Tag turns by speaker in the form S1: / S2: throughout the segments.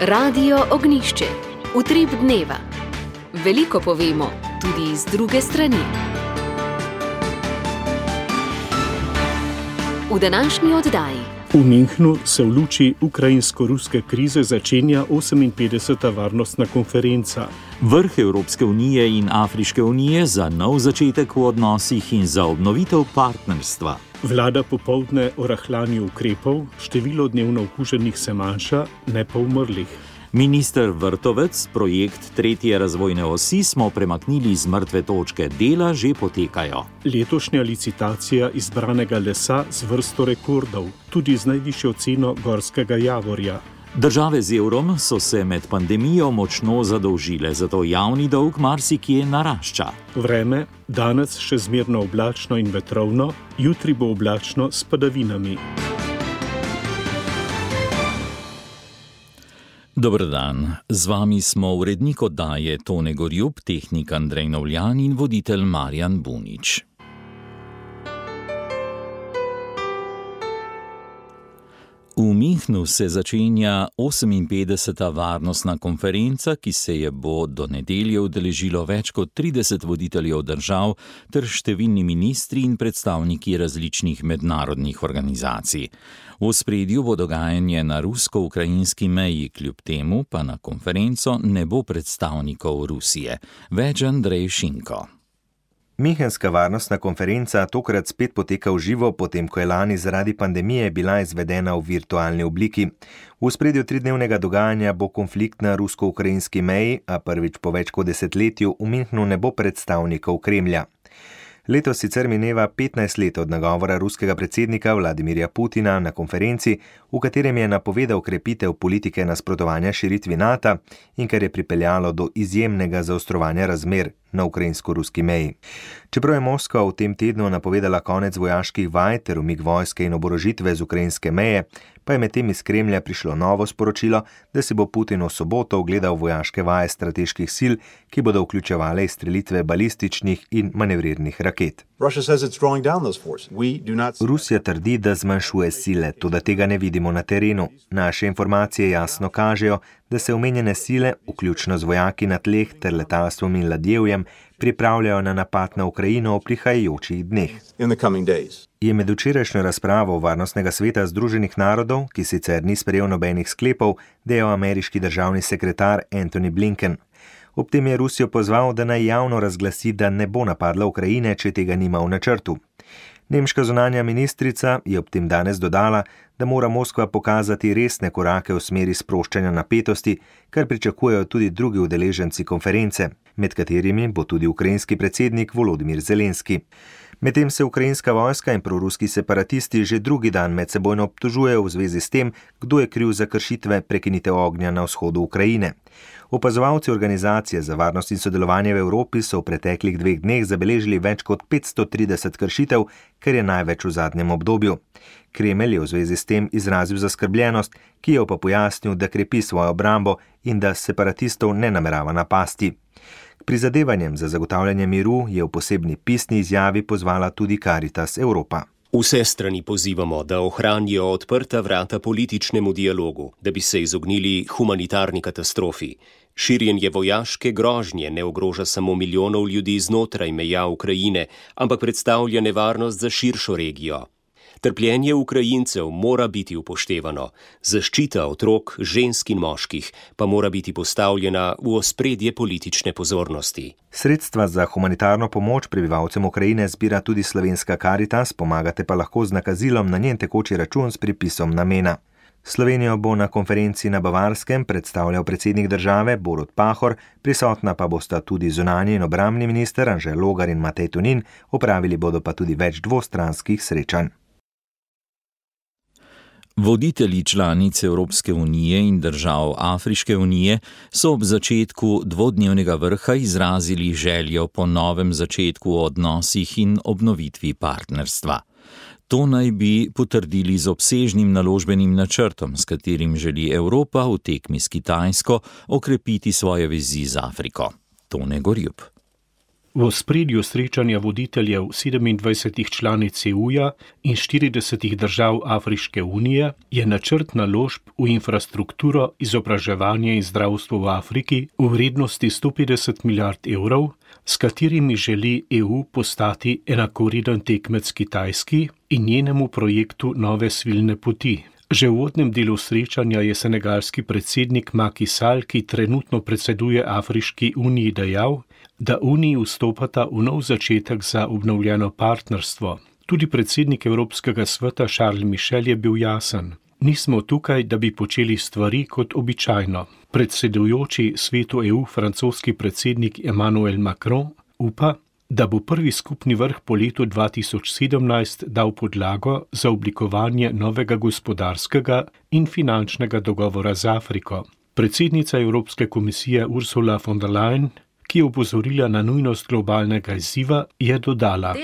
S1: Radio Ognjišče. Utrip dneva. Veliko povemo, tudi z druge strani. V današnji oddaji.
S2: V Münchnu se v luči ukrajinsko-ruske krize začenja 58. varnostna konferenca.
S3: Vrh Evropske unije in Afriške unije za nov začetek v odnosih in za obnovitev partnerstva.
S2: Vlada popoldne o rahljanju ukrepov, število dnevno okuženih se manjša, ne pa umrlih.
S3: Minister Vrtovec, projekt 3. razvojne osi smo premaknili z mrtve točke, dela že potekajo.
S2: Letošnja licitacija izbranega lesa z vrsto rekordov, tudi z najvišjo ceno gorskega javorja.
S3: Države z evrom so se med pandemijo močno zadolžile, zato javni dolg marsikje narašča.
S2: Vreme, danes še zmerno oblačno in vetrovno, jutri bo oblačno s padavinami.
S3: Dober dan, z vami smo urednik oddaje Tone Gorjup, tehnik Andrej Novljan in voditelj Marjan Bunič. V Münchnu se začenja 58. varnostna konferenca, ki se je bo do nedelje udeležilo več kot 30 voditeljev držav ter številni ministri in predstavniki različnih mednarodnih organizacij. V ospredju bo dogajanje na rusko-ukrajinski meji, kljub temu pa na konferenco ne bo predstavnikov Rusije. Več Andrej Šinko.
S4: Münchenska varnostna konferenca tokrat spet poteka v živo, potem ko je lani zaradi pandemije bila izvedena v virtualni obliki. V ospredju 3-dnevnega dogajanja bo konflikt na rusko-ukrajinski meji, a prvič po več kot desetletju v Münchnu ne bo predstavnikov Kremlja. Letos sicer mineva 15 let od nagovora ruskega predsednika Vladimirja Putina na konferenci, v katerem je napovedal krepitev politike nasprotovanja širitvi NATO in kar je pripeljalo do izjemnega zaostrovanja razmer na ukrajinsko-ruski meji. Čeprav je Moskva v tem tednu napovedala konec vojaških vaj ter umik vojske in oborožitve z ukrajinske meje, pa je medtem iz Kremlja prišlo novo sporočilo, da si bo Putin v soboto ogledal vojaške vaje strateških sil, ki bodo vključevale izstrelitve balističnih in manevrirnih raket. Rusija trdi, da zmanjšuje sile, toda tega ne vidimo na terenu. Naše informacije jasno kažejo, da se omenjene sile, vključno z vojaki na tleh ter letalstvom in ladjevjem, pripravljajo na napad na Ukrajino v prihajajočih dneh. Je med včerajšnjo razpravo Varnostnega sveta Združenih narodov, ki sicer ni sprejel nobenih sklepov, dejal ameriški državni sekretar Antony Blinken. Ob tem je Rusijo pozval, da naj javno razglasi, da ne bo napadla Ukrajine, če tega nima v načrtu. Nemška zunanja ministrica je ob tem danes dodala, da mora Moskva pokazati resne korake v smeri sproščanja napetosti, kar pričakujejo tudi drugi udeleženci konference, med katerimi bo tudi ukrajinski predsednik Volodimir Zelenski. Medtem se ukrajinska vojska in proruski separatisti že drugi dan medsebojno obtožujejo v zvezi s tem, kdo je kriv za kršitve prekinitev ognja na vzhodu Ukrajine. Opazovalci Organizacije za varnost in sodelovanje v Evropi so v preteklih 2 dneh zabeležili več kot 530 kršitev, kar je največ v zadnjem obdobju. Kremelj je v zvezi s tem izrazil zaskrbljenost, ki je pa pojasnil, da krepi svojo obrambo in da separatistov ne namerava napasti. K prizadevanjem za zagotavljanje miru je v posebni pisni izjavi pozvala tudi Caritas Evropa.
S5: Vse strani pozivamo, da ohranijo odprta vrata političnemu dialogu, da bi se izognili humanitarni katastrofi. Širjenje vojaške grožnje ne ogroža samo milijonov ljudi znotraj meja Ukrajine, ampak predstavlja nevarnost za širšo regijo. Trpljenje Ukrajincev mora biti upoštevano, zaščita otrok, žensk in moških pa mora biti postavljena v ospredje politične pozornosti.
S4: Sredstva za humanitarno pomoč prebivalcem Ukrajine zbira tudi slovenska Caritas, pomagate pa lahko z nakazilom na njen tekoči račun s pripisom namena. Slovenijo bo na konferenci na Bavarskem predstavljal predsednik države Borut Pahor, prisotna pa bosta tudi zunanji in obrambni minister Anže Logar in Matej Tonin, opravili bodo pa tudi več dvostranskih srečanj.
S3: Voditelji članic Evropske unije in držav Afriške unije so ob začetku 2-dnevnega vrha izrazili željo po novem začetku v odnosih in obnovitvi partnerstva. To naj bi potrdili z obsežnim naložbenim načrtom, s katerim želi Evropa v tekmi s Kitajsko okrepiti svoje vezi z Afriko. Tone Gorjup.
S2: V ospredju srečanja voditeljev 27 članic EU-ja in 40 držav Afriške unije je načrt naložb v infrastrukturo, izobraževanje in zdravstvo v Afriki v vrednosti 150 milijard evrov, s katerimi želi EU postati enakovreden tekmec Kitajski in njenemu projektu nove svilne poti. Že v uvodnem delu srečanja je senegalski predsednik Macky Sall, ki trenutno predseduje Afriški uniji, dejal, da Uniji vstopata v nov začetek za obnovljeno partnerstvo. Tudi predsednik Evropskega sveta Charles Michel je bil jasen. Nismo tukaj, da bi počeli stvari kot običajno. Predsedujoči svetu EU francoski predsednik Emmanuel Macron upa, da bo prvi skupni vrh po letu 2017 dal podlago za oblikovanje novega gospodarskega in finančnega dogovora z Afriko. Predsednica Evropske komisije Ursula von der Leyen, ki je opozorila na nujnost globalnega izziva, je dodala: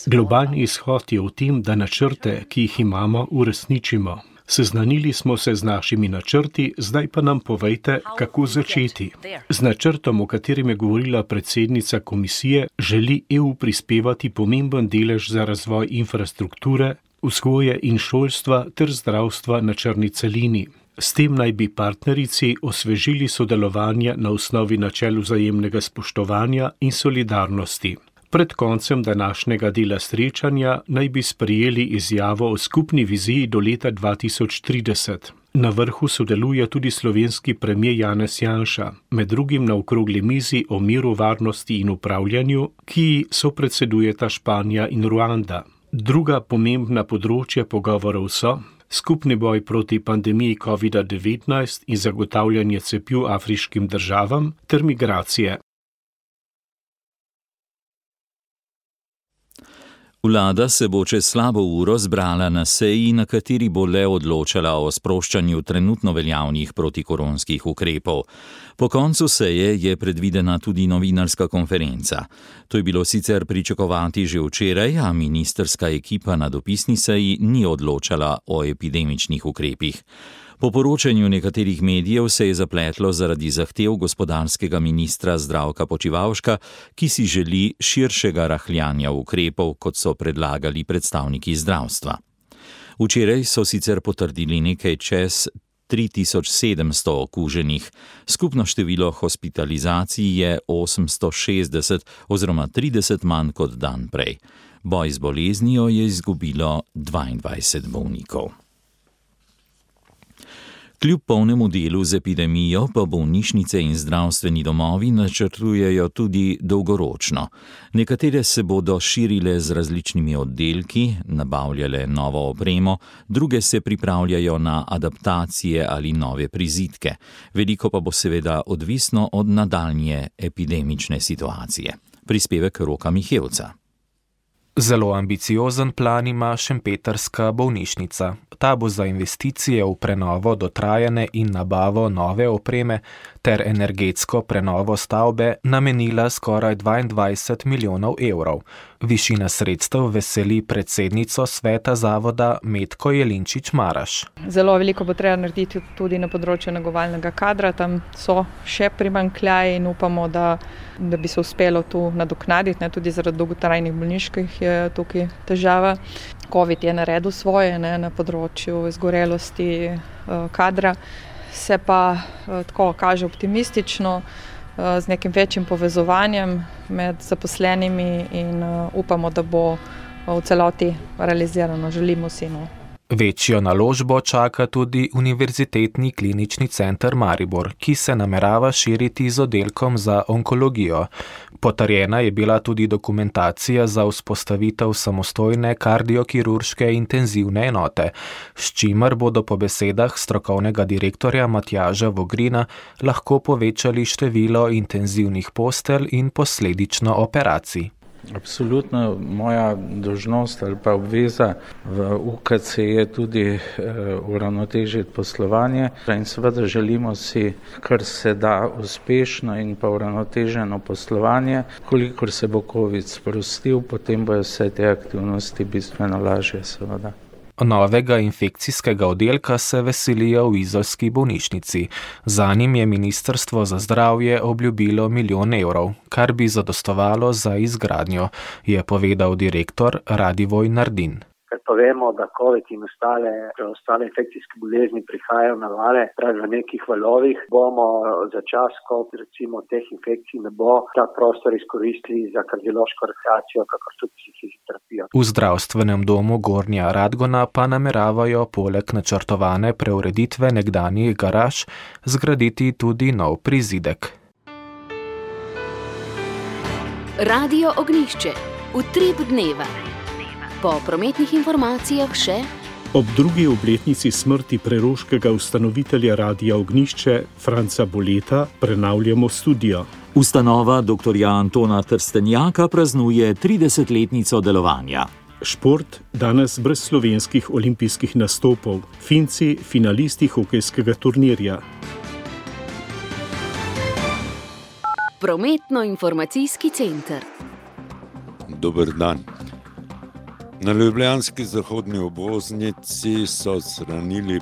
S2: Globalni izhod je v tem, da načrte, ki jih imamo, uresničimo. Seznanili smo se z našimi načrti, zdaj pa nam povejte, kako začeti. Z načrtom, o katerem je govorila predsednica komisije, želi EU prispevati pomemben delež za razvoj infrastrukture, vzgoje in šolstva ter zdravstva na črni celini. S tem naj bi partnerici osvežili sodelovanje na osnovi načel vzajemnega spoštovanja in solidarnosti. Pred koncem današnjega dela srečanja naj bi sprejeli izjavo o skupni viziji do leta 2030. Na vrhu sodeluje tudi slovenski premier Janez Janša, med drugim na okrogli mizi o miru, varnosti in upravljanju, ki sopredsedujeta Španija in Ruanda. Druga pomembna področja pogovorov so skupni boj proti pandemiji COVID-19 in zagotavljanje cepiv afriškim državam ter migracije.
S3: Vlada se bo čez slabo uro zbrala na seji, na kateri bo le odločala o sproščanju trenutno veljavnih protikoronskih ukrepov. Po koncu seje je predvidena tudi novinarska konferenca. To je bilo sicer pričakovati že včeraj, a ministrska ekipa na dopisni seji ni odločala o epidemičnih ukrepih. Po poročanju nekaterih medijev se je zapletlo zaradi zahtev gospodarskega ministra Zdravka Počivalška, ki si želi širšega rahljanja ukrepov, kot so predlagali predstavniki zdravstva. Včeraj so sicer potrdili nekaj čez 3700 okuženih. Skupno število hospitalizacij je 860 oziroma 30 manj kot dan prej. Boj z boleznijo je izgubilo 22 bolnikov. Kljub polnemu delu z epidemijo pa bolnišnice in zdravstveni domovi načrtujejo tudi dolgoročno. Nekatere se bodo širile z različnimi oddelki, nabavljale novo opremo, druge se pripravljajo na adaptacije ali nove prizidke. Veliko pa bo seveda odvisno od nadaljnje epidemične situacije. Prispevek Roka Mihevca.
S6: Zelo ambiciozen plan ima šempetrska bolnišnica. Ta bo za investicije v prenovo dotrajane in nabavo nove opreme ter energetsko prenovo stavbe namenila skoraj 22 milijonov evrov. Višina sredstev veseli predsednico sveta zavoda Metko Jelinčič-Maraš.
S7: Zelo veliko bo treba narediti tudi na področju negovalnega kadra. Tam so še primanjkljaji in upamo, da bi se uspelo tu nadoknaditi. Tudi zaradi dolgotrajnih bolniških je tukaj težava. COVID je naredil svoje na področju izgorelosti kadra. Se pa tako kaže optimistično, z nekim večjim povezovanjem med zaposlenimi in upamo, da bo v celoti realizirano. Želimo si.
S6: Večjo naložbo čaka tudi Univerzitetni klinični center Maribor, ki se namerava širiti z oddelkom za onkologijo. Potrjena je bila tudi dokumentacija za vzpostavitev samostojne kardiokirurške intenzivne enote, s čimer bodo po besedah strokovnega direktorja Matjaža Vogrina lahko povečali število intenzivnih postelj in posledično operacij.
S8: Absolutno moja dolžnost ali pa obveza v UKC je tudi uravnotežiti poslovanje in seveda želimo si, kar se da uspešno in pa uravnoteženo poslovanje. Kolikor se bo COVID sprostil, potem bojo vse te aktivnosti bistveno lažje seveda.
S6: Novega infekcijskega oddelka se veselijo v izolski bolnišnici. Za njim je Ministrstvo za zdravje obljubilo 1 milijon evrov, kar bi zadostovalo za izgradnjo, je povedal direktor Radivoj Nardin.
S9: Ker pa vemo, da COVID in ostale infekcijske bolezni prihajajo na vale, pravi v nekih valovih, bomo za čas, ko recimo teh infekcij ne bo, ta prostor izkoristili za kardiološko rekreacijo, kakor tudi psihoterapijo.
S6: V zdravstvenem domu Gornja Radgona pa nameravajo poleg načrtovane preureditve nekdanjih garaž zgraditi tudi nov prizidek.
S1: Radio Ognjišče. Utrip dneva. Po prometnih informacijah še
S2: ob drugi obletnici smrti preroškega ustanovitelja Radia Ognjišče Franca Boleta prenavljamo studio.
S3: Ustanova dr. Antona Trstenjaka praznuje 30-letnico delovanja.
S2: Šport danes brez slovenskih olimpijskih nastopov. Finci finalisti hokejskega turnirja.
S1: Prometno-informacijski center.
S10: Dober dan. Na ljubljanski zahodni obvoznici so odstranili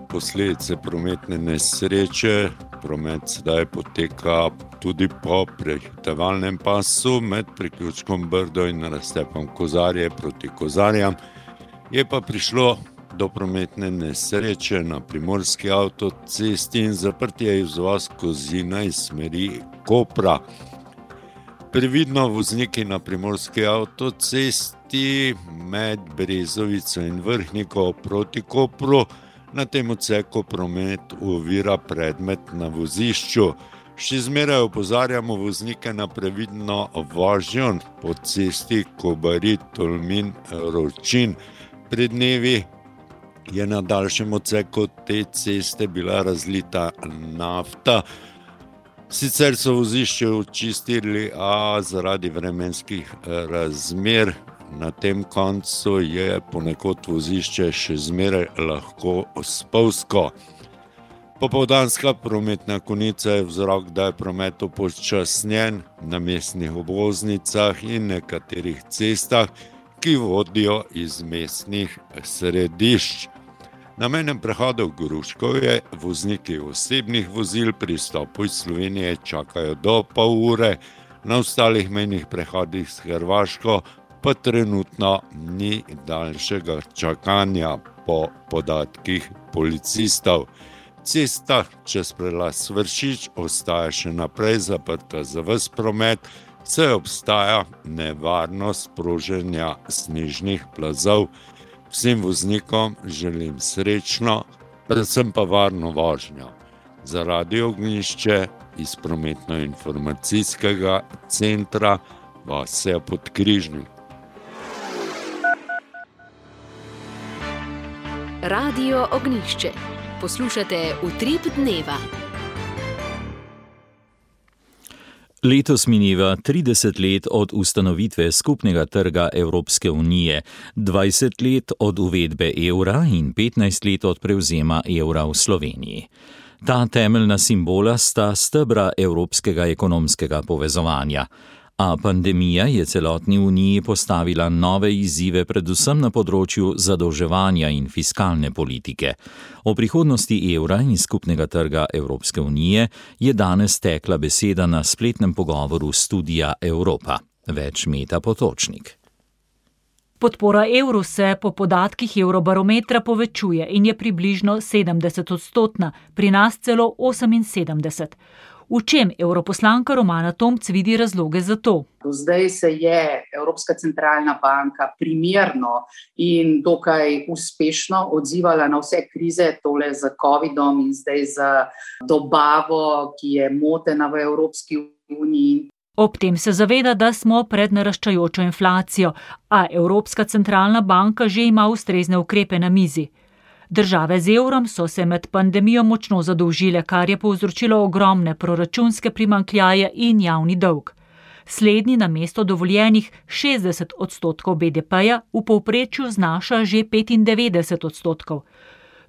S10: posledice prometne nesreče. Promet sedaj poteka tudi po prehitevalnem pasu med priključkom Brdo in raztepom Kozarje proti Kozarjam. Je pa prišlo do prometne nesreče na primorski avtocesti in zaprtje izvoz Kozina iz smeri Kopra. Previdno vozniki na primorski avtocesti med Brezovico in Vrhniko proti Kopru, na tem odseku promet ovira predmet na vozišču. Še zmeraj opozarjamo voznike na previdno vožnjo po cesti Kobarid-Tolmin-Ročin. Pred dnevi je na daljšem odseku te ceste bila razlita nafta. Sicer so vozišče očistili, a zaradi vremenskih razmer na tem koncu je ponekod vozišče še zmeraj lahko spolzko. Popoldanska prometna konica je vzrok, da je promet upočasnjen na mestnih obvoznicah in nekaterih cestah, ki vodijo iz mestnih središč. Na mejnem prehodu v Gruškovje vozniki osebnih vozil pri vstopu iz Slovenije čakajo do pol ure, na ostalih mejnih prehodih s Hrvaško pa trenutno ni daljšega čakanja po podatkih policistov. Cesta čez prelaz Vršič ostaja še naprej zaprta za ves promet, saj obstaja nevarnost sproženja snežnih plazov. Vsem voznikom želim srečno, predvsem pa varno vožnjo. Za Radio Ognjišče iz prometno-informacijskega centra Vasja Podkrižnik.
S1: Radio Ognjišče. Poslušate Utrip dneva.
S3: Letos mineva 30 let od ustanovitve skupnega trga Evropske unije, 20 let od uvedbe evra in 15 let od prevzema evra v Sloveniji. Ta temeljna simbola sta stebra evropskega ekonomskega povezovanja. A pandemija je celotni uniji postavila nove izzive predvsem na področju zadolževanja in fiskalne politike. O prihodnosti evra in skupnega trga Evropske unije je danes tekla beseda na spletnem pogovoru Studia Evropa. Več Meta Potočnik.
S11: Podpora evru se po podatkih Eurobarometra povečuje in je približno 70-odstotna, pri nas celo 78%. V čem europoslanka Romana Tomc vidi razloge za to?
S12: Do zdaj se je Evropska centralna banka primerno in dokaj uspešno odzivala na vse krize, tole z covidom in zdaj z dobavo, ki je motena v Evropski uniji.
S11: Ob tem se zaveda, da smo pred naraščajočo inflacijo, a Evropska centralna banka že ima ustrezne ukrepe na mizi. Države z evrom so se med pandemijo močno zadolžile, kar je povzročilo ogromne proračunske primanjkljaje in javni dolg. Slednji namesto dovoljenih 60% BDP-ja v povprečju znaša že 95%.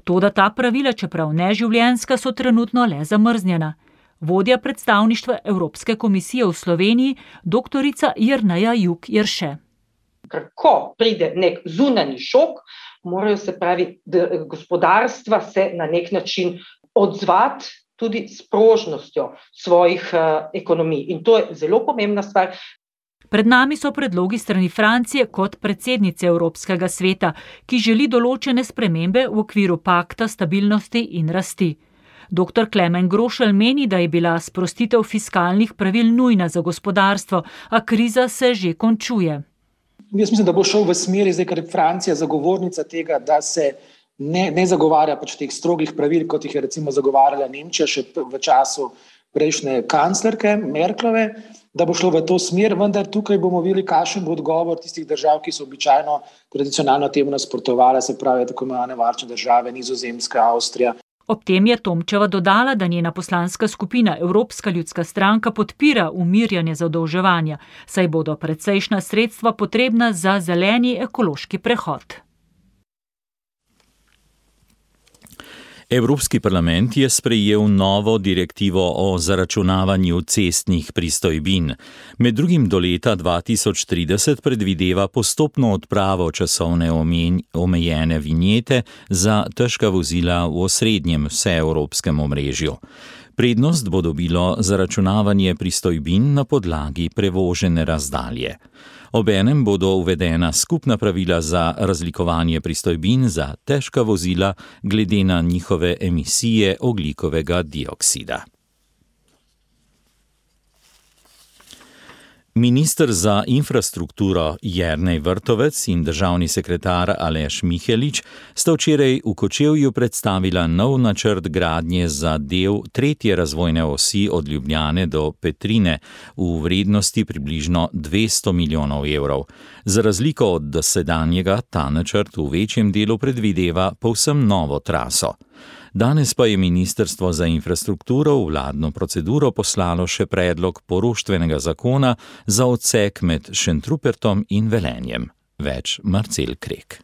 S11: Toda ta pravila, čeprav neživljenjska, so trenutno le zamrznjena. Vodja predstavništva Evropske komisije v Sloveniji, doktorica Jerneja Juk Jerše.
S13: Ko pride nek zunanji šok, morajo se pravi gospodarstva se na nek način odzvati tudi s prožnostjo svojih ekonomij. In to je zelo pomembna stvar.
S11: Pred nami so predlogi strani Francije kot predsednice Evropskega sveta, ki želi določene spremembe v okviru pakta stabilnosti in rasti. Dr. Klemen Grošelj meni, da je bila sprostitev fiskalnih pravil nujna za gospodarstvo, a kriza se že končuje.
S14: Jaz mislim, da bo šel v smeri, zdaj, ker je Francija zagovornica tega, da se ne zagovarja pač teh strogih pravil, kot jih je recimo zagovarjala Nemčija še v času prejšnje kanclerke Merklove, da bo šlo v to smer, vendar tukaj bomo videli, kakšen bo odgovor tistih držav, ki so običajno tradicionalno temu nasprotovale, se pravi tako imenovane varčne države, Nizozemska, Avstrija.
S11: Ob tem je Tomčeva dodala, da njena poslanska skupina Evropska ljudska stranka podpira umirjanje zadolževanja, saj bodo precejšnja sredstva potrebna za zeleni ekološki prehod.
S3: Evropski parlament je sprejel novo direktivo o zaračunavanju cestnih pristojbin. Med drugim do leta 2030 predvideva postopno odpravo časovne omejene vinjete za težka vozila v osrednjem vseevropskem omrežju. Prednost bo dobilo zaračunavanje pristojbin na podlagi prevožene razdalje. Obenem bodo uvedena skupna pravila za razlikovanje pristojbin za težka vozila glede na njihove emisije ogljikovega dioksida. Minister za infrastrukturo Jernej Vrtovec in državni sekretar Aleš Mihelič sta včeraj v Kočevju predstavila nov načrt gradnje za del 3. razvojne osi od Ljubljane do Petrine v vrednosti približno 200 milijonov evrov. Za razliko od dosedanjega ta načrt v večjem delu predvideva povsem novo traso. Danes pa je Ministrstvo za infrastrukturo v vladno proceduro poslalo še predlog poroštvenega zakona za odsek med Šentrupertom in Velenjem. Več Marcel Krek.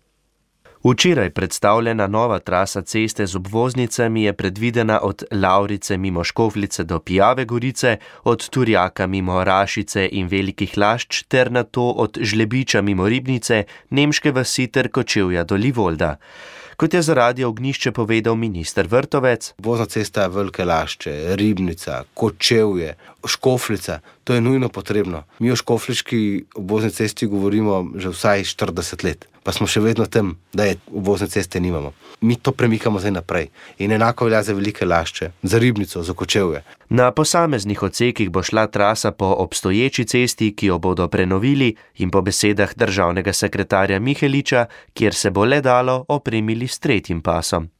S15: Včeraj predstavljena nova trasa ceste z obvoznicami je predvidena od Lavrice mimo Škofljice do Pijave Gorice, od Turjaka mimo Rašice in Velikih Lašč ter nato od Žlebiča mimo Ribnice, Nemške vasi ter Kočevja do Livolda. Kot je za Radio Ognjišče povedal minister Vrtovec,
S16: obvozna cesta Velike Lašče, Ribnica, Kočevje, Škofljica, to je nujno potrebno. Mi o škofliški obvozni cesti govorimo že vsaj 40 let, pa smo še vedno tam, da je obvozne ceste nimamo. Mi to premikamo zdaj naprej in enako velja za Velike Lašče, za Ribnico, za Kočevje.
S15: Na posameznih odsekih bo šla trasa po obstoječi cesti, ki jo bodo prenovili, in po besedah državnega sekretarja Miheliča, kjer se bo le dalo, opremili s 3. pasom.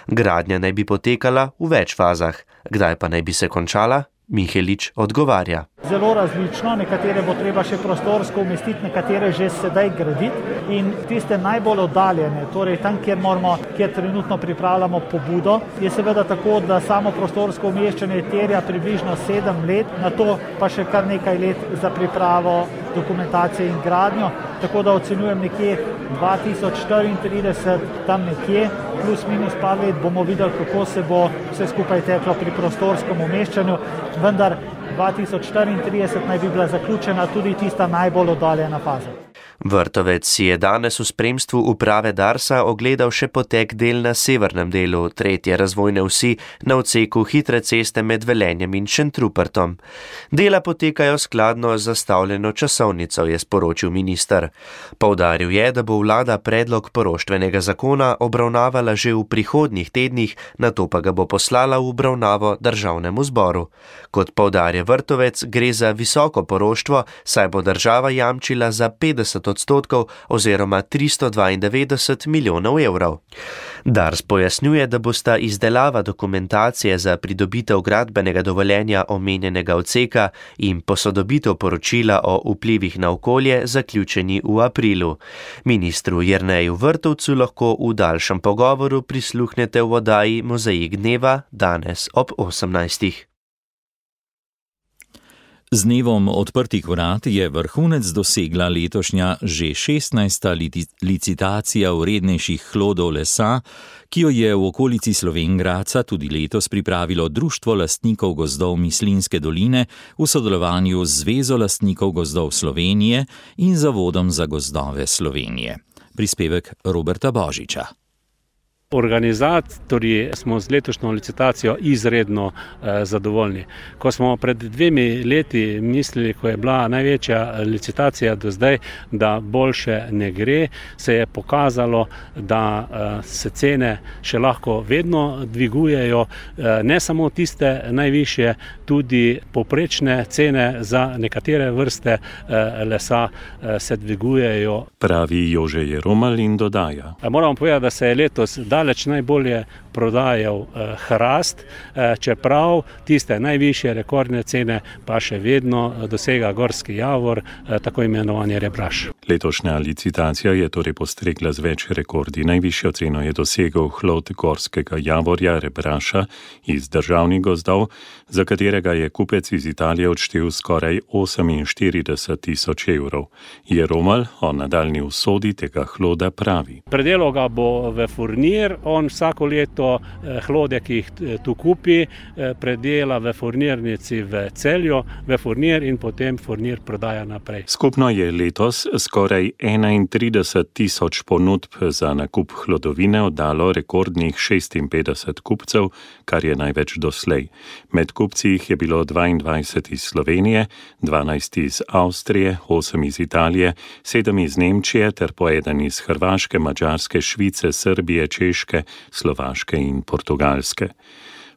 S15: Gradnja naj bi potekala v več fazah. Kdaj pa naj bi se končala? Mihelič odgovarja.
S17: Zelo različno, nekatere bo treba še prostorsko umestiti, nekatere že sedaj graditi in tiste najbolj oddaljene, torej tam, kjer trenutno pripravljamo pobudo, je seveda tako, da samo prostorsko umeščanje terja približno 7 let, na to pa še kar nekaj let za pripravo dokumentacije in gradnjo, tako da ocenjujem nekje 2034, tam nekje, plus minus par let bomo videli, kako se bo vse skupaj teklo pri prostorskem umeščanju, vendar 2034 naj bi bila zaključena tudi tista najbolj oddaljena faza.
S15: Vrtovec si je danes v spremstvu uprave Darsa ogledal še potek del na severnem delu 3. razvojne osi na odseku hitre ceste med Velenjem in Šentrupertom. Dela potekajo skladno z zastavljeno časovnico, je sporočil minister. Poudaril je, da bo vlada predlog poroštvenega zakona obravnavala že v prihodnjih tednih, nato pa ga bo poslala v obravnavo državnemu zboru. Kot poudarja Vrtovec, gre za visoko poroštvo, saj bo država jamčila za 50% oziroma 392 milijonov evrov. Dars pojasnjuje, da bosta izdelava dokumentacije za pridobitev gradbenega dovoljenja omenjenega odseka in posodobitev poročila o vplivih na okolje zaključeni v aprilu. Ministru Jerneju Vrtovcu lahko v daljšem pogovoru prisluhnete v oddaji Mozaik dneva danes ob 18.
S3: Z dnevom odprtih vrat je vrhunec dosegla letošnja že 16. licitacija vrednejših hlodov lesa, ki jo je v okolici Slovenj Gradca tudi letos pripravilo Društvo lastnikov gozdov Mislinjske doline v sodelovanju z Zvezo lastnikov gozdov Slovenije in Zavodom za gozdove Slovenije. Prispevek Roberta Božiča.
S18: Organizatorji smo z letošnjo licitacijo izredno zadovoljni. Ko smo pred 2 leti mislili, ko je bila največja licitacija do zdaj, da boljše ne gre, se je pokazalo, da se cene še lahko vedno dvigujejo, ne samo tiste najvišje, tudi povprečne cene za nekatere vrste lesa se dvigujejo.
S3: Pravi Jože Jeromal in dodaja.
S18: Moramo povedati, da se je letos daleč najbolje prodajal hrast, čeprav tiste najvišje rekordne cene pa še vedno dosega gorski javor, tako imenovani rebraš.
S3: Letošnja licitacija je torej postregla z več rekordi. Najvišjo ceno je dosegel hlod gorskega javorja rebraša iz državnih gozdov, za katerega je kupec iz Italije odštel skoraj 48.000 evrov. Jeromal o nadaljnji usodi tega hloda pravi.
S18: Predelal ga bo v furnir, on vsako leto hlode, ki jih tu kupi, predela v furnirnici v Celju, v furnir in potem furnir prodaja naprej.
S3: Skupno je letos skoraj 31.000 ponudb za nakup hlodovine oddalo rekordnih 56 kupcev, kar je največ doslej. Med kupci jih je bilo 22 iz Slovenije, 12 iz Avstrije, 8 iz Italije, 7 iz Nemčije ter po 1 iz Hrvaške, Madžarske, Švice, Srbije, Češke, Slovaške in Portugalske.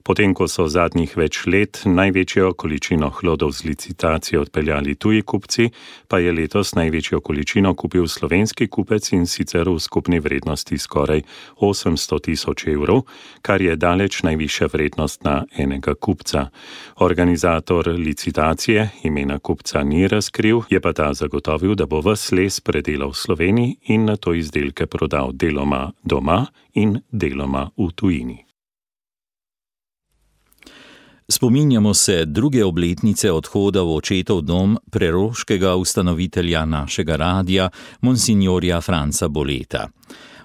S3: Potem, ko so zadnjih več let največjo količino hlodov z licitacije odpeljali tuji kupci, pa je letos največjo količino kupil slovenski kupec in sicer v skupni vrednosti skoraj 800.000 evrov, kar je daleč najvišja vrednost na enega kupca. Organizator licitacije imena kupca ni razkril, je pa ta zagotovil, da bo ves les predelal v Sloveniji in nato izdelke prodal deloma doma in deloma v tujini. Spominjamo se 2. obletnice odhoda v očetov dom preroškega ustanovitelja našega radia, monsignorja Franca Boleta.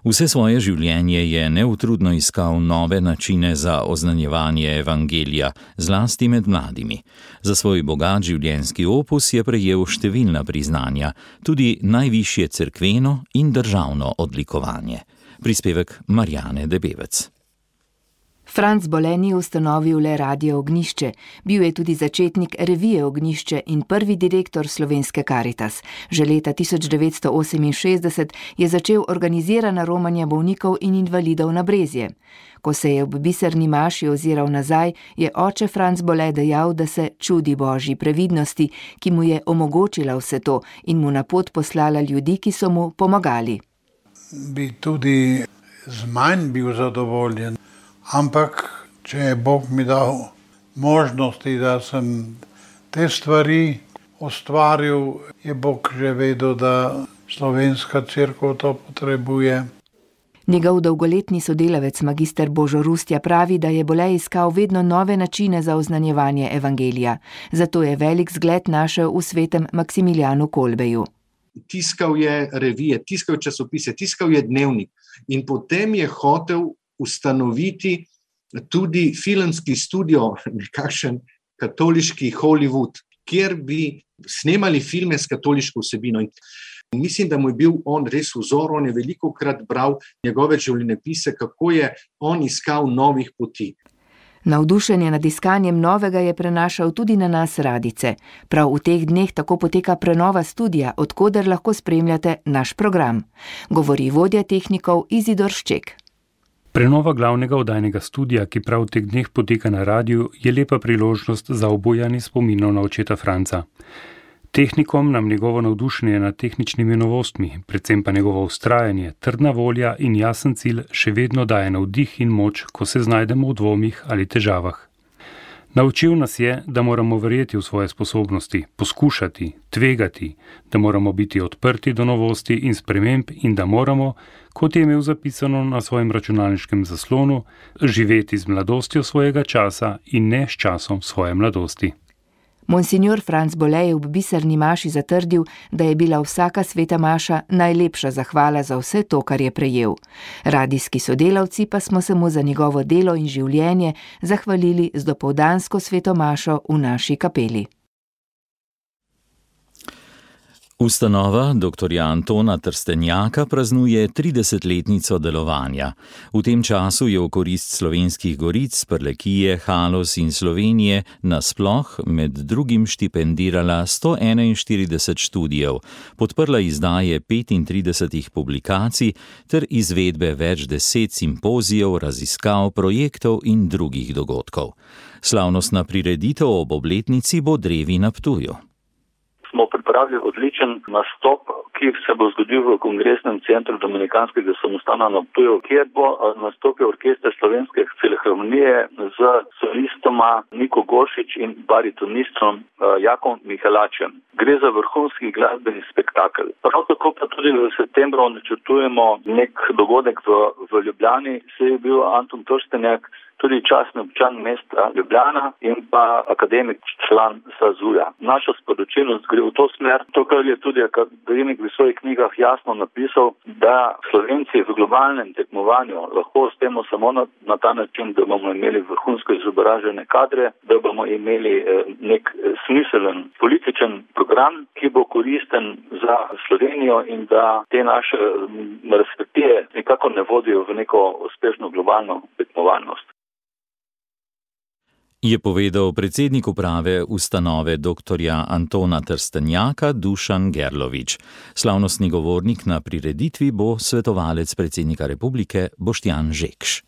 S3: Vse svoje življenje je neutrudno iskal nove načine za oznanjevanje evangelija, zlasti med mladimi. Za svoj bogat življenjski opus je prejel številna priznanja, tudi najvišje cerkveno in državno odlikovanje. Prispevek Marjane Debevec.
S19: Franc Bole ni ustanovil le Radio Ognjišče, bil je tudi začetnik revije Ognjišče in prvi direktor Slovenske Karitas. Že leta 1968 je začel organizirana romanja bolnikov in invalidov na Brezje. Ko se je ob biserni maši oziral nazaj, je oče Franc Bole dejal, da se čudi Božji previdnosti, ki mu je omogočila vse to in mu na pot poslala ljudi, ki so mu pomagali.
S20: Bi tudi z manj bil zadovoljen. Ampak, če je Bog mi dal možnosti, da sem te stvari ustvaril, je Bog že vedel, da slovenska cerkev to potrebuje.
S19: Njegov dolgoletni sodelavec magister Božo Rustja pravi, da je Bole iskal vedno nove načine za oznanjevanje evangelija. Zato je velik zgled našel v svetem Maksimilijanu Kolbeju.
S21: Tiskal je revije, tiskal je časopise, tiskal je dnevnik in potem je hotel ustanoviti tudi filmski studio, nekakšen katoliški Hollywood, kjer bi snemali filme s katoliško vsebino. In mislim, da mu je bil on res vzor, on je velikokrat bral njegove življenjepise, kako je on iskal novih poti.
S19: Navdušenje nad iskanjem novega je prenašal tudi na nas radice. Prav v teh dneh tako poteka prenova studia, od koder lahko spremljate naš program. Govori vodja tehnikov Izidor Šček.
S22: Prenova glavnega oddajnega studia, ki prav v teh dneh poteka na radiju, je lepa priložnost za obujanje spominov na očeta Franca. Tehnikom nam njegovo navdušenje nad tehničnimi novostmi, predvsem pa njegovo vztrajanje, trdna volja in jasen cilj še vedno daje navdih in moč, ko se znajdemo v dvomih ali težavah. Naučil nas je, da moramo verjeti v svoje sposobnosti, poskušati, tvegati, da moramo biti odprti do novosti in sprememb in da moramo, kot je imel zapisano na svojem računalniškem zaslonu, živeti z mladostjo svojega časa in ne s časom svoje mladosti.
S19: Monsignor Franc Bole je v biserni maši zatrdil, da je bila vsaka sveta maša najlepša zahvala za vse to, kar je prejel. Radijski sodelavci pa smo se mu za njegovo delo in življenje zahvalili z dopoldansko sveto mašo v naši kapeli.
S3: Ustanova dr. Antona Trstenjaka praznuje 30-letnico delovanja. V tem času je v korist Slovenskih goric, Prlekije, Haloz in Slovenije nasploh med drugim štipendirala 141 študijev, podprla izdaje 35 publikacij ter izvedbe več 10 simpozijev, raziskav, projektov in drugih dogodkov. Slavnostna prireditev ob obletnici bo drevi na Ptuju.
S4: Smo pripravili odličen nastop, ki se bo zgodil v Kongresnem centru Dominikanskega samostana na Ptuju, kjer bo nastopil orkester Slovenske filharmonije z solistoma Niko Goršič in baritonistom Jakom Mihelačem. Gre za vrhunski glasbeni spektakel. Prav tako pa tudi v septembru načrtujemo nek dogodek v Ljubljani, saj je bil Anton Trstenjak tudi častni občan mesta Ljubljana in pa akademik, član SAZU-ja. Naša sporočilnost gre v to smer, to, kar je tudi akademik v svojih knjigah jasno napisal, da Slovenci v globalnem tekmovanju lahko uspemo samo na ta način, da bomo imeli vrhunsko izobražene kadre, da bomo imeli nek smiselen političen program, ki bo koristen za Slovenijo in da te naše razprtije nekako ne vodijo v neko uspešno globalno tekmovalnost.
S3: Je povedal predsednik uprave ustanove dr. Antona Trstenjaka Dušan Gerlovič. Slavnostni govornik na prireditvi bo svetovalec predsednika republike Boštjan Žekš.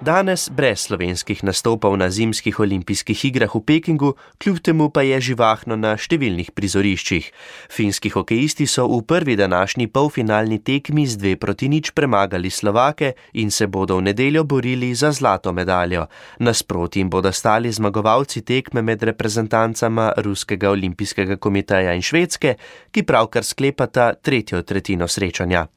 S15: Danes brez slovenskih nastopov na zimskih olimpijskih igrah v Pekingu, kljub temu pa je živahno na številnih prizoriščih. Finski hokejisti so v prvi današnji polfinalni tekmi z 2-0 premagali Slovake in se bodo v nedeljo borili za zlato medaljo. Nasproti jim bodo stali zmagovalci tekme med reprezentancama Ruskega olimpijskega komiteja in Švedske, ki pravkar sklepata tretjo tretjino srečanja.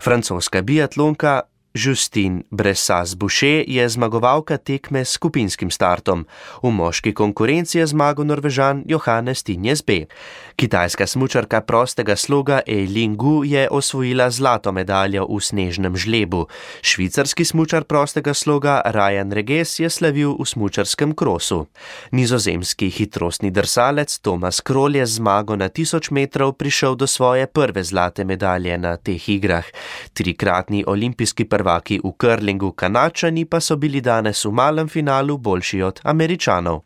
S15: Francoska biatlonka Justine Bressas-Boucher je zmagovalka tekme s skupinskim startom. V moški konkurenci je zmagal Norvežan Johannes Tinjes B. Kitajska smučarka prostega sloga Eileen Gu je osvojila zlato medaljo v snežnem žlebu. Švicarski smučar prostega sloga Ryan Reges je slavil v smučarskem krosu. Nizozemski hitrostni drsalec Thomas Krol je zmago na 1000 metrov prišel do svoje prve zlate medalje na teh igrah. Trikratni olimpijski prvaki v curlingu Kanačani pa so bili danes v malem finalu boljši od Američanov.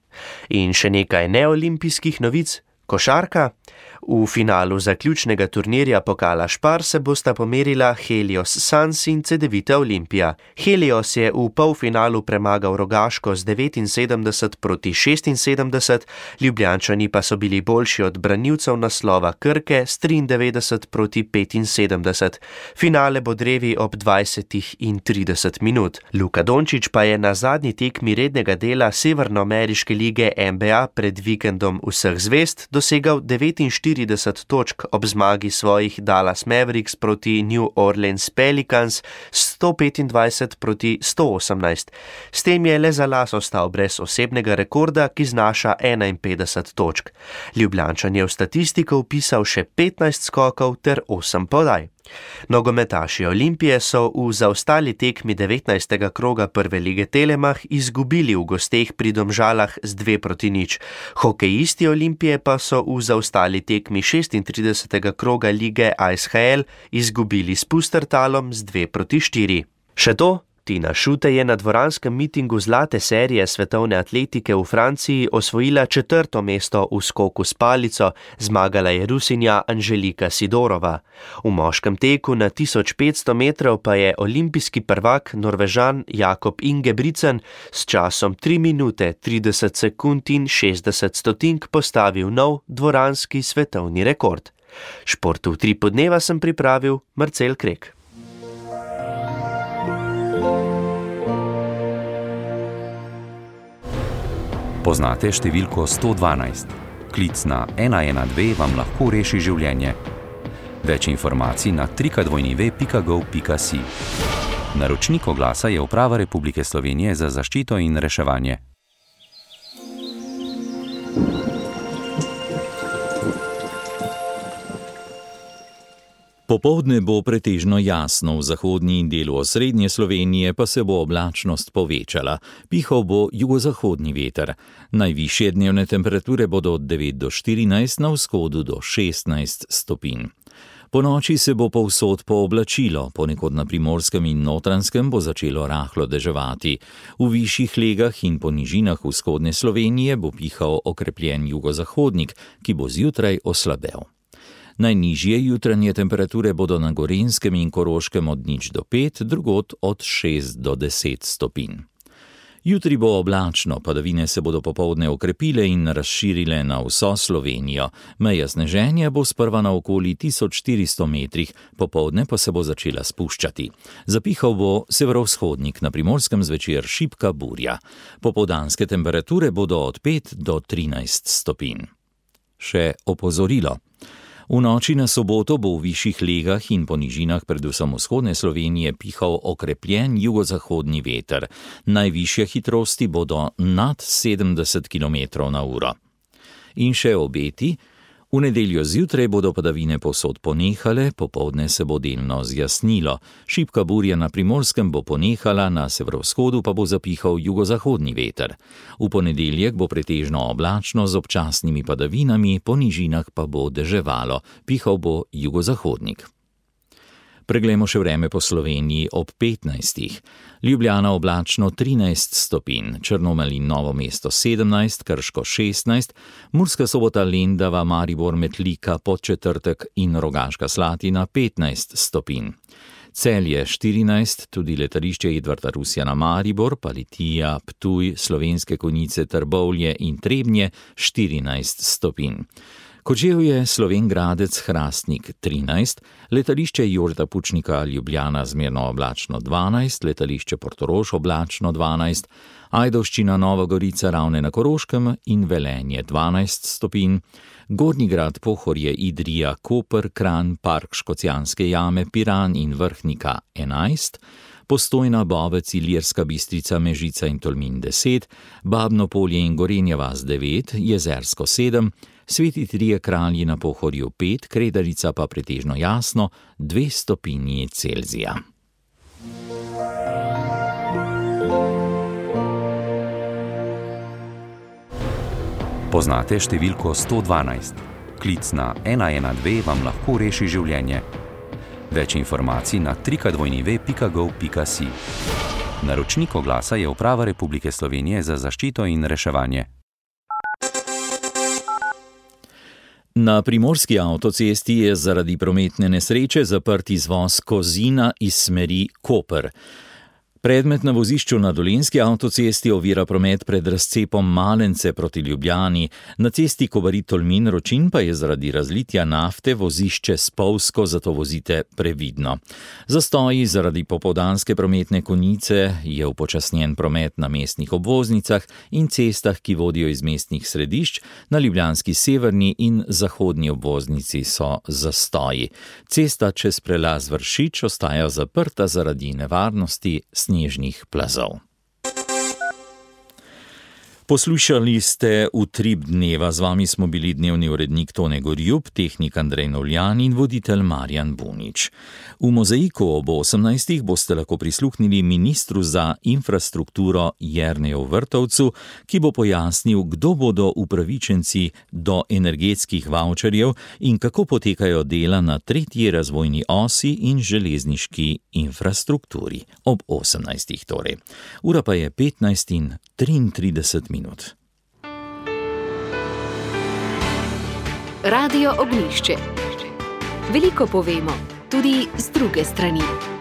S15: In še nekaj neolimpijskih novic. Košarka. V finalu zaključnega turnirja pokala Špar se bosta pomerila Helios Suns in Cedevita Olimpija. Helios je v polfinalu premagal Rogaško z 79-76, Ljubljančani pa so bili boljši od branilcev naslova Krke s 93-75. Finale bo drevi ob 20:30 minut. Luka Dončić pa je na zadnji tekmi rednega dela Severnoameriške lige NBA pred vikendom vseh zvezd dosegal 49 točk ob zmagi svojih Dallas Mavericks proti New Orleans Pelicans 125-118. S tem je le za las ostal brez osebnega rekorda, ki znaša 51 točk. Ljubljančan je v statistiko vpisal še 15 skokov ter 8 podaj. Nogometaši Olimpije so v zaostali tekmi 19. kroga prve lige Telemach izgubili v gosteh pri Domžalah z 2-0. Hokejisti Olimpije pa so v zaostali tekmi 36. kroga lige ASHL izgubili s Pustertalom z 2-4. Še to? Tina Šute je na dvoranskem mitingu zlate serije svetovne atletike v Franciji osvojila 4. mesto v skoku s palico, zmagala je Rusinja Anželika Sidorova. V moškem teku na 1500 metrov pa je olimpijski prvak Norvežan Jakob Ingebrigtsen s časom 3 minute 30 sekund in 60 stotink postavil nov dvoranski svetovni rekord. Šport v 3 podneva sem pripravil Marcel Krek.
S5: Poznate številko 112? Klic na 112 vam lahko reši življenje. Več informacij na www.gov.si. Naročnik oglasa je Uprava Republike Slovenije za zaščito in reševanje.
S3: Popoldne bo pretežno jasno, v zahodnji delu osrednje Slovenije pa se bo oblačnost povečala. Pihal bo jugozahodni veter. Najvišje dnevne temperature bodo od 9 do 14, na vzhodu do 16 stopinj. Po noči se bo povsod pooblačilo, ponekod na Primorskem in Notranjskem bo začelo rahlo deževati. V višjih legah in po nižinah vzhodne Slovenije bo pihal okrepljen jugozahodnik, ki bo zjutraj oslabel. Najnižje jutranje temperature bodo na Gorenjskem in Koroškem od 0 do 5, drugod od 6 do 10 stopinj. Jutri bo oblačno, padavine se bodo popoldne okrepile in razširile na vso Slovenijo. Meja sneženja bo sprva na okoli 1400 metrih, popoldne pa se bo začela spuščati. Zapihal bo severovzhodnik, na Primorskem zvečer šibka burja. Popoldanske temperature bodo od 5 do 13 stopinj. Še opozorilo. V noči na soboto bo v višjih legah in po nižinah predvsem vzhodne Slovenije pihal okrepljen jugozahodni veter. Najvišje hitrosti bodo nad 70 km/h. In še obeti. V nedeljo zjutraj bodo padavine povsod ponehale, popoldne se bo delno zjasnilo. Šibka burja na Primorskem bo ponehala, na severovzhodu pa bo zapihal jugozahodni veter. V ponedeljek bo pretežno oblačno z občasnimi padavinami, po nižinah pa bo deževalo, pihal bo jugozahodnik. Preglejmo še vreme po Sloveniji ob 15. Ljubljana oblačno 13 stopinj, Črnomelj in Novo mesto 17, Krško 16, Murska Sobota, Lendava, Maribor, Metlika, Podčetrtek in Rogaška Slatina 15 stopinj. Celje 14, tudi letališče Edvarda Rusjana Maribor, pa Litija, Ptuj, Slovenske Konjice, Trbovlje in Trebnje 14 stopinj. Kočevje, Slovenj Gradec, Hrastnik 13, letališče Jožeta Pučnika Ljubljana zmerno oblačno 12, letališče Portorož oblačno 12, Ajdovščina, Nova Gorica, Ravne na Koroškem in Velenje 12 stopinj, Gornji Grad, Pohorje, Idrija, Koper, Kranj, Park Škocjanske jame, Piran in Vrhnika 11, Postojna, Bovec, Ilirska Bistrica, Mežica in Tolmin 10, Babno Polje in Gorenja vas 9, Jezersko 7, Sveti Trije Kralji na Pohorju 5, Kredarica pa pretežno jasno 2 stopinji Celzija.
S5: Poznate številko 112? Klic na 112 vam lahko reši življenje. Več informacij na www.pika.gov.si. Naročnik oglasa je Uprava Republike Slovenije za zaščito in reševanje.
S3: Na primorski avtocesti je zaradi prometne nesreče zaprt izvoz Kozina iz smeri Koper. Predmet na vozišču na Dolenjski avtocesti ovira promet pred razcepom Malence proti Ljubljani, na cesti Kobarid-Tolmin-Ročin pa je zaradi razlitja nafte vozišče spolzko, zato vozite previdno. Zastoji zaradi popoldanske prometne konice je upočasnjen promet na mestnih obvoznicah in cestah, ki vodijo iz mestnih središč, na ljubljanski severni in zahodni obvoznici so zastoji. Cesta čez prelaz Vršič ostaja zaprta zaradi nevarnosti snežnih plazov. Poslušali ste Utrip dneva, z vami smo bili dnevni urednik Tone Gorjup, tehnik Andrej Novljan in voditelj Marjan Bunič. V Mozaiku ob 18. boste lahko prisluhnili ministru za infrastrukturo Jerneju Vrtovcu, ki bo pojasnil, kdo bodo upravičenci do energetskih vavčerjev in kako potekajo dela na 3. razvojni osi in železniški infrastrukturi. Ob 18. torej. Ura pa je 15:33.
S1: Radio Ognjišče. Veliko povemo, tudi z druge strani.